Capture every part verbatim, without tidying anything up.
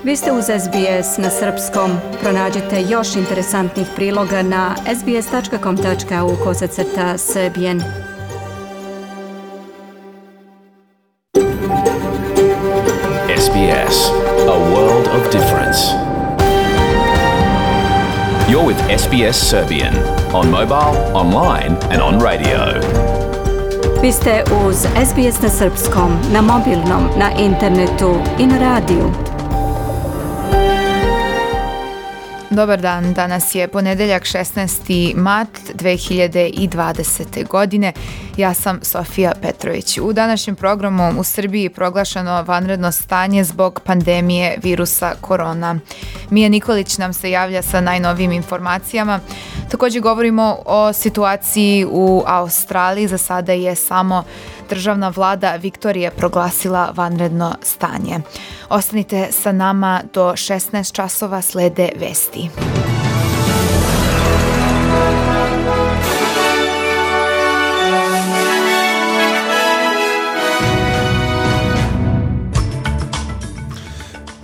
Vi ste uz S B S na srpskom. Pronađite još interesantnih priloga na sbs.com.au kosacrta srbijen. S B S, a world of difference. You're with S B S Serbian on mobile, online and on radio. Vi ste uz S B S na srpskom, na mobilnom, na internetu i na radiju. Dobar dan, danas je ponedeljak šesnaesti mart dve hiljade dvadesete. godine. Ja sam Sofija Petrović. U današnjem programu u Srbiji je proglašeno vanredno stanje zbog pandemije virusa korona. Mija Nikolić nam se javlja sa najnovijim informacijama. Također govorimo o situaciji u Australiji. Za sada je samo državna vlada Viktorije proglasila vanredno stanje. Ostanite sa nama do šesnaest časova, slede vesti.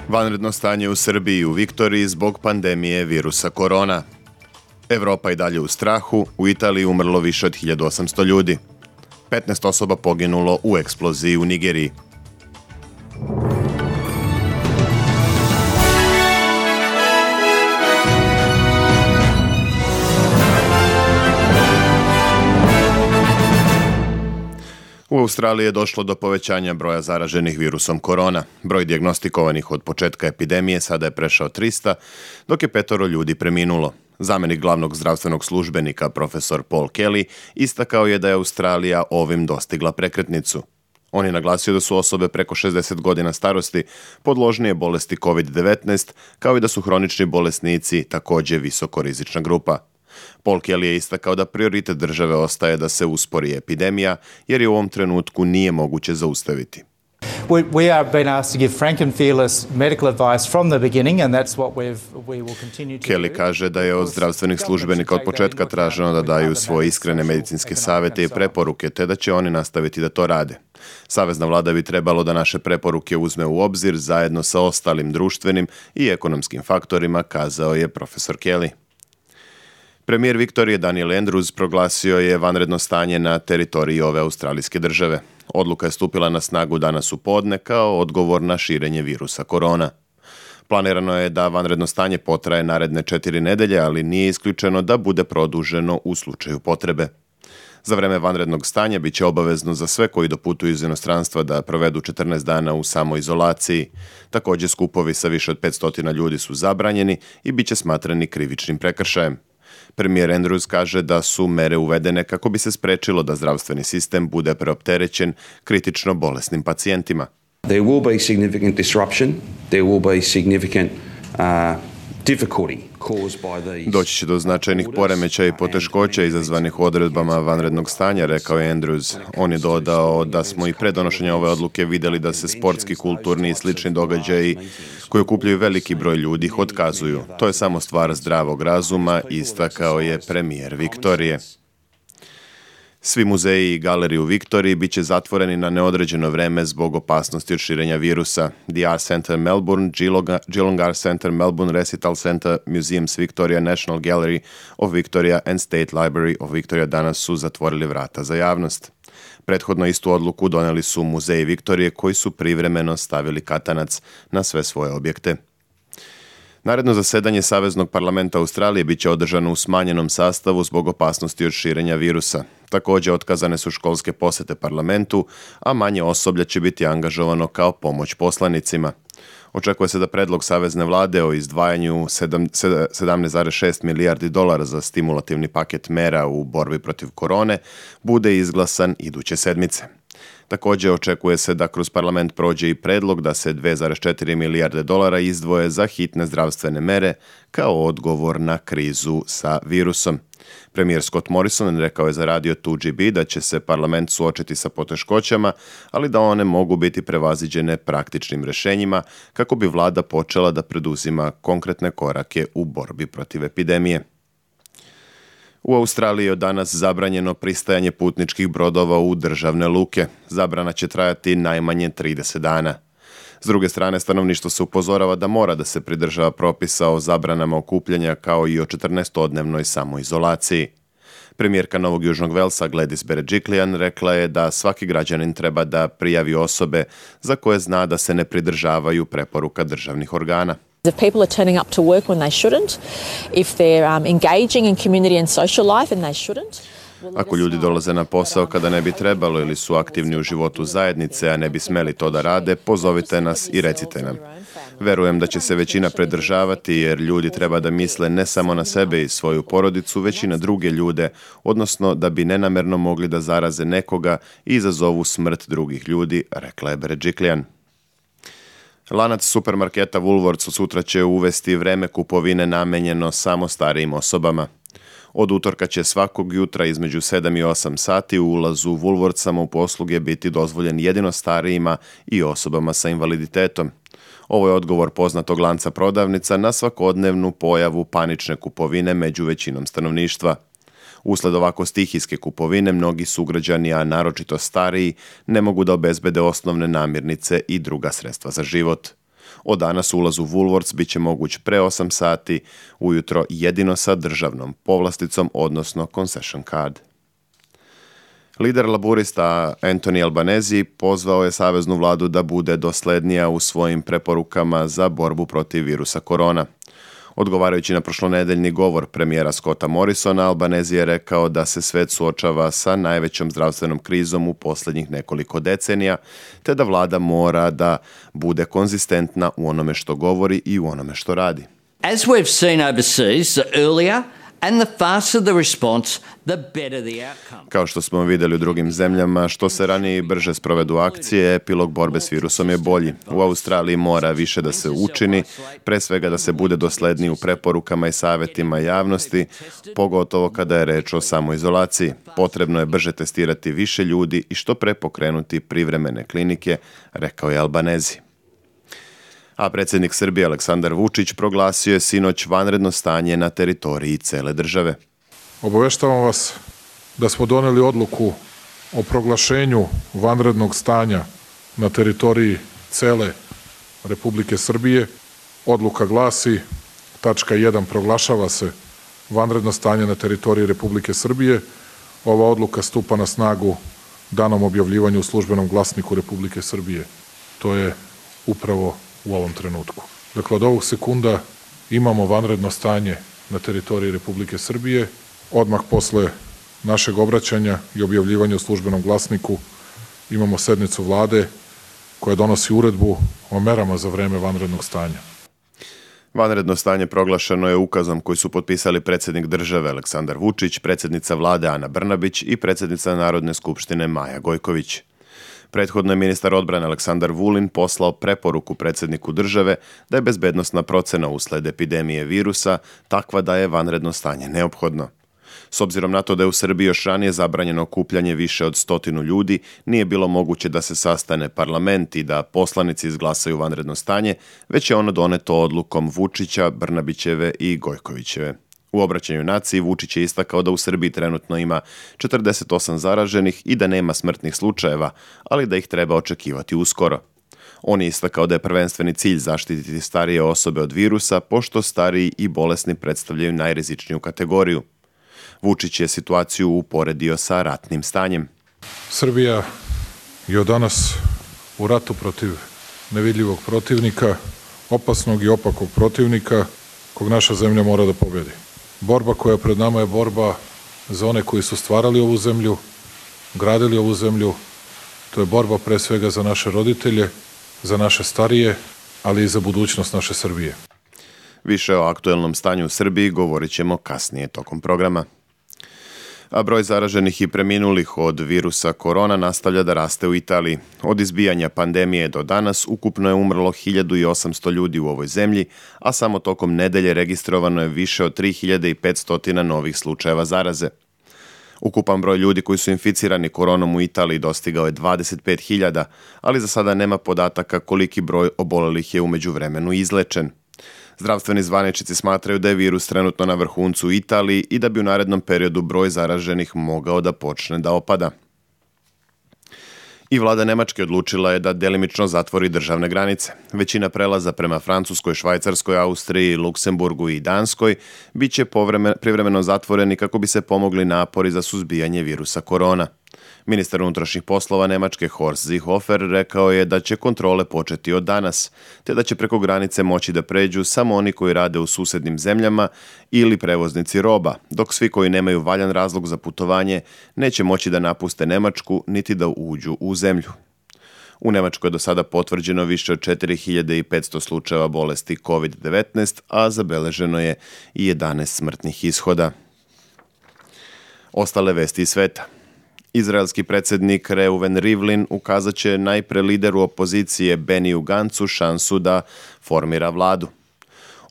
Vanredno stanje u Srbiji i u Viktoriji zbog pandemije virusa korona. Evropa i dalje u strahu, u Italiji umrlo više od hiljadu osamsto ljudi. petnaest osoba poginulo u eksploziji u Nigeriji. U Australiji je došlo do povećanja broja zaraženih virusom korona. Broj dijagnostikovanih od početka epidemije sada je prešao trista, dok je petoro ljudi preminulo. Zamenik glavnog zdravstvenog službenika, profesor Paul Kelly, istakao je da je Australija ovim dostigla prekretnicu. On je naglasio da su osobe preko šezdeset godina starosti podložnije bolesti kovid devetnaest, kao i da su hronični bolesnici također visokorizična grupa. Paul Kelly je istakao da prioritet države ostaje da se uspori epidemija, jer je u ovom trenutku nije moguće zaustaviti. We, we are being asked to give frank and fearless medical advice from the beginning, and that's what we've, we will continue to do. Kelly kaže da je od zdravstvenih službenika od početka traženo da daju svoje iskrene medicinske savjete i preporuke, te da će oni nastaviti da to rade. Savezna vlada bi trebalo da naše preporuke uzme u obzir zajedno sa ostalim društvenim i ekonomskim faktorima, kazao je profesor Kelly. Premijer Viktorije Daniel Andrews proglasio je vanredno stanje na teritoriji ove australijske države. Odluka je stupila na snagu danas u podne kao odgovor na širenje virusa korona. Planirano je da vanredno stanje potraje naredne četiri nedelje, ali nije isključeno da bude produženo u slučaju potrebe. Za vreme vanrednog stanja biće obavezno za sve koji doputuju iz inostranstva da provedu četrnaest dana u samoizolaciji. Također skupovi sa više od petsto ljudi su zabranjeni i biće smatrani krivičnim prekršajem. Premijer Andrews kaže da su mere uvedene kako bi se sprečilo da zdravstveni sistem bude preopterećen kritično bolesnim pacijentima. There will be significant disruption, there will be significant uh, difficulty caused by these. Doći će do značajnih poremećaja i poteškoća izazvanih odredbama vanrednog stanja, rekao je Andrews. On je dodao da smo i pre donošenja ove odluke vidjeli da se sportski, kulturni i slični događaji koji okupljaju veliki broj ljudi otkazuju. To je samo stvar zdravog razuma, istakao je premijer Viktorije. Svi muzeji i galerije u Viktoriji bit će zatvoreni na neodređeno vreme zbog opasnosti od širenja virusa. The Art Center Melbourne, Geelong Art Center Melbourne, Recital Center, Museums Victoria, National Gallery of Victoria and State Library of Victoria danas su zatvorili vrata za javnost. Prethodno istu odluku doneli su muzeji Viktorije koji su privremeno stavili katanac na sve svoje objekte. Naredno zasedanje Saveznog parlamenta Australije bit će održano u smanjenom sastavu zbog opasnosti od širenja virusa. Također otkazane su školske posete parlamentu, a manje osoblja će biti angažovano kao pomoć poslanicima. Očekuje se da predlog Savezne vlade o izdvajanju sedamnaest zarez šest milijardi dolara za stimulativni paket mera u borbi protiv korone bude izglasan iduće sedmice. Također očekuje se da kroz parlament prođe i predlog da se dve zarez četiri milijarde dolara izdvoje za hitne zdravstvene mere kao odgovor na krizu sa virusom. Premijer Scott Morrison rekao je za radio two G B da će se parlament suočiti sa poteškoćama, ali da one mogu biti prevaziđene praktičnim rješenjima kako bi vlada počela da preduzima konkretne korake u borbi protiv epidemije. U Australiji je od danas zabranjeno pristajanje putničkih brodova u državne luke. Zabrana će trajati najmanje trideset dana. S druge strane, stanovništvo se upozorava da mora da se pridržava propisa o zabranama okupljanja kao i o četrnaestodnevnoj samoizolaciji. Premijerka Novog Južnog Velsa Gladys Berejiklian rekla je da svaki građanin treba da prijavi osobe za koje zna da se ne pridržavaju preporuka državnih organa. If people are turning up to work when they shouldn't, if they're um, engaging in community and social life and they shouldn't. Ako ljudi dolaze na posao kada ne bi trebalo ili su aktivni u životu zajednice, a ne bi smeli to da rade, pozovite nas i recite nam. Verujem da će se većina pridržavati jer ljudi treba da misle ne samo na sebe i svoju porodicu, već i na druge ljude, odnosno da bi nenamerno mogli da zaraze nekoga i izazovu smrt drugih ljudi, rekla je Berejiklian. Lanac supermarketa Woolworths sutra će uvesti vreme kupovine namenjeno samo starijim osobama. Od utorka će svakog jutra između sedam i osam sati u ulazu Woolworthsama u posluge biti dozvoljen jedino starijima i osobama sa invaliditetom. Ovo je odgovor poznatog lanca prodavnica na svakodnevnu pojavu panične kupovine među većinom stanovništva. Usled ovako stihijske kupovine, mnogi sugrađani, a naročito stariji, ne mogu da obezbede osnovne namirnice i druga sredstva za život. Od danas ulaz u Woolworths bit će moguć pre osam sati, ujutro jedino sa državnom povlasticom, odnosno concession card. Lider laburista Anthony Albanese pozvao je saveznu vladu da bude doslednija u svojim preporukama za borbu protiv virusa korona. Odgovarajući na prošlonedeljni govor premijera Scotta Morrisona, Albanese je rekao da se svet suočava sa najvećom zdravstvenom krizom u posljednjih nekoliko decenija, te da vlada mora da bude konzistentna u onome što govori i u onome što radi. As we've seen overseas, the earlier and the faster the response, the better the outcome. Kao što smo vidjeli u drugim zemljama, što se ranije i brže sprovedu akcije, epilog borbe s virusom je bolji. U Australiji mora više da se učini, pre svega da se bude dosledniji u preporukama i savjetima javnosti, pogotovo kada je reč o samoizolaciji. Potrebno je brže testirati više ljudi i što pre pokrenuti privremene klinike, rekao je Albanese. A predsjednik Srbije Aleksandar Vučić proglasio je sinoć vanredno stanje na teritoriji cele države. Obaveštavam vas da smo doneli odluku o proglašenju vanrednog stanja na teritoriji cele Republike Srbije. Odluka glasi, tačka jedan, proglašava se vanredno stanje na teritoriji Republike Srbije. Ova odluka stupa na snagu danom objavljivanja u službenom glasniku Republike Srbije. To je upravo u ovom trenutku. Dakle, od ovog sekunda imamo vanredno stanje na teritoriji Republike Srbije. Odmah posle našeg obraćanja i objavljivanja u službenom glasniku imamo sednicu vlade koja donosi uredbu o merama za vreme vanrednog stanja. Vanredno stanje proglašeno je ukazom koji su potpisali predsjednik države Aleksandar Vučić, predsjednica vlade Ana Brnabić i predsjednica Narodne skupštine Maja Gojković. Prethodno je ministar odbrane Aleksandar Vulin poslao preporuku predsjedniku države da je bezbednosna procena usled epidemije virusa takva da je vanredno stanje neophodno. S obzirom na to da je u Srbiji još ranije zabranjeno okupljanje više od stotinu ljudi, nije bilo moguće da se sastane parlament i da poslanici izglasaju vanredno stanje, već je ono doneto odlukom Vučića, Brnabićeve i Gojkovićeve. U obraćanju naciji Vučić je istakao da u Srbiji trenutno ima četrdeset osam zaraženih i da nema smrtnih slučajeva, ali da ih treba očekivati uskoro. On je istakao da je prvenstveni cilj zaštititi starije osobe od virusa, pošto stariji i bolesni predstavljaju najrizičniju kategoriju. Vučić je situaciju uporedio sa ratnim stanjem. Srbija je od danas u ratu protiv nevidljivog protivnika, opasnog i opakog protivnika, kog naša zemlja mora da pobedi. Borba koja pred nama je borba za one koji su stvarali ovu zemlju, gradili ovu zemlju. To je borba pre svega za naše roditelje, za naše starije, ali i za budućnost naše Srbije. Više o aktuelnom stanju u Srbiji govorit ćemo kasnije tokom programa. A broj zaraženih i preminulih od virusa korona nastavlja da raste u Italiji. Od izbijanja pandemije do danas ukupno je umrlo hiljadu osamsto ljudi u ovoj zemlji, a samo tokom nedelje registrovano je više od tri hiljade petsto novih slučajeva zaraze. Ukupan broj ljudi koji su inficirani koronom u Italiji dostigao je dvadeset pet hiljada, ali za sada nema podataka koliki broj obolelih je u međuvremenu izlečen. Zdravstveni zvaničnici smatraju da je virus trenutno na vrhuncu u Italiji i da bi u narednom periodu broj zaraženih mogao da počne da opada. I vlada Nemačke odlučila je da delimično zatvori državne granice. Većina prelaza prema Francuskoj, Švajcarskoj, Austriji, Luksemburgu i Danskoj bit će privremeno zatvoreni kako bi se pomogli napori za suzbijanje virusa korona. Ministar unutrašnjih poslova Nemačke Horst Seehofer rekao je da će kontrole početi od danas, te da će preko granice moći da pređu samo oni koji rade u susednim zemljama ili prevoznici roba, dok svi koji nemaju valjan razlog za putovanje neće moći da napuste Nemačku niti da uđu u zemlju. U Nemačkoj je do sada potvrđeno više od četiri hiljade petsto slučajeva bolesti kovid devetnaest, a zabeleženo je i jedanaest smrtnih ishoda. Ostale vesti iz sveta. Izraelski predsjednik Reuven Rivlin ukazat će najpre lideru opozicije Beniju Gancu šansu da formira vladu.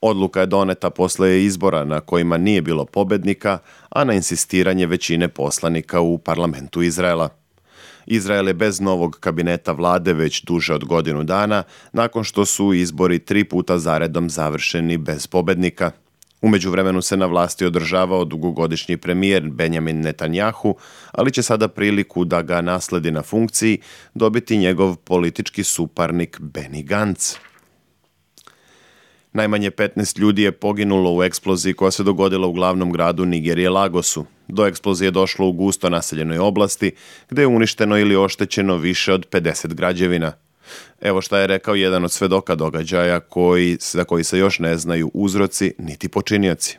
Odluka je doneta posle izbora na kojima nije bilo pobednika, a na insistiranje većine poslanika u parlamentu Izraela. Izrael je bez novog kabineta vlade već duže od godinu dana, nakon što su izbori tri puta zaredom završeni bez pobednika. U međuvremenu se na vlasti održavao dugogodišnji premijer Benjamin Netanjahu, ali će sada priliku da ga nasledi na funkciji dobiti njegov politički suparnik Benny Gantz. Najmanje petnaest ljudi je poginulo u eksploziji koja se dogodila u glavnom gradu Nigerije Lagosu. Do eksplozije je došlo u gusto naseljenoj oblasti, gde je uništeno ili oštećeno više od pedeset građevina. Evo šta je rekao jedan od svedoka događaja koji, za koji se još ne znaju uzroci niti počinioci.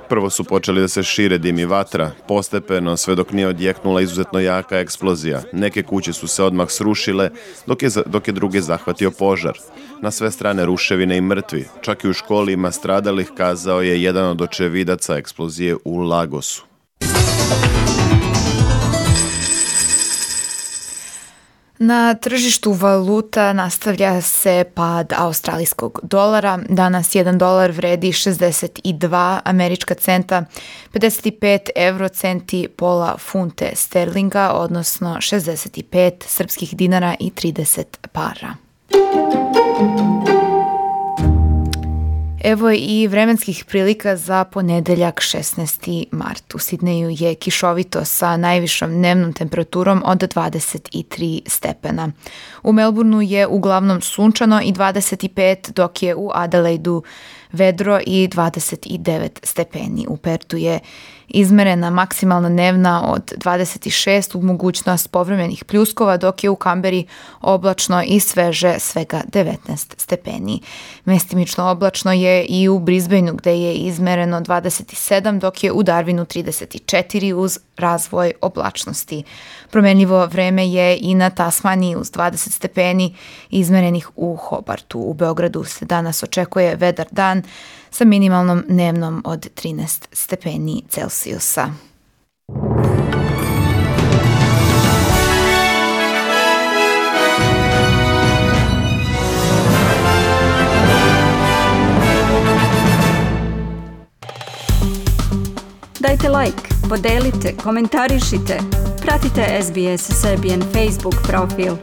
Prvo su počeli da se šire dim i vatra, postepeno sve dok nije odjeknula izuzetno jaka eksplozija. Neke kuće su se odmah srušile, dok je, dok je druge zahvatio požar. Na sve strane ruševine i mrtvi, čak i u školi ima stradalih, kazao je jedan od očevidaca eksplozije u Lagosu. Na tržištu valuta nastavlja se pad australijskog dolara. Danas jedan dolar vredi šezdeset dva američka centa, pedeset pet evrocenti, pola funte sterlinga, odnosno šezdeset pet srpskih dinara i trideset para. Evo i vremenskih prilika za ponedeljak šesnaesti mart. U Sidneju je kišovito sa najvišom dnevnom temperaturom od dvadeset tri stepena. U Melbourneu je uglavnom sunčano i dvadeset pet, dok je u Adelaidu vedro i dvadeset devet stepeni. U Pertu je izmerena maksimalna dnevna od dvadeset šest uz mogućnost povremenih pljuskova, dok je u Kamberi oblačno i sveže svega devetnaest stepeni. Mestimično oblačno je i u Brisbaneu, gde je izmereno dvadeset sedam, dok je u Darwinu trideset četiri uz razvoj oblačnosti. Promenljivo vreme je i na Tasmaniji uz dvadeset stepeni izmerenih u Hobartu. U Beogradu se danas očekuje vedar dan sa minimalnom dnevnom od trinaest stepeni Celsijusa. Dajte like, podelite, komentarišite, pratite S B S Serbian Facebook profil.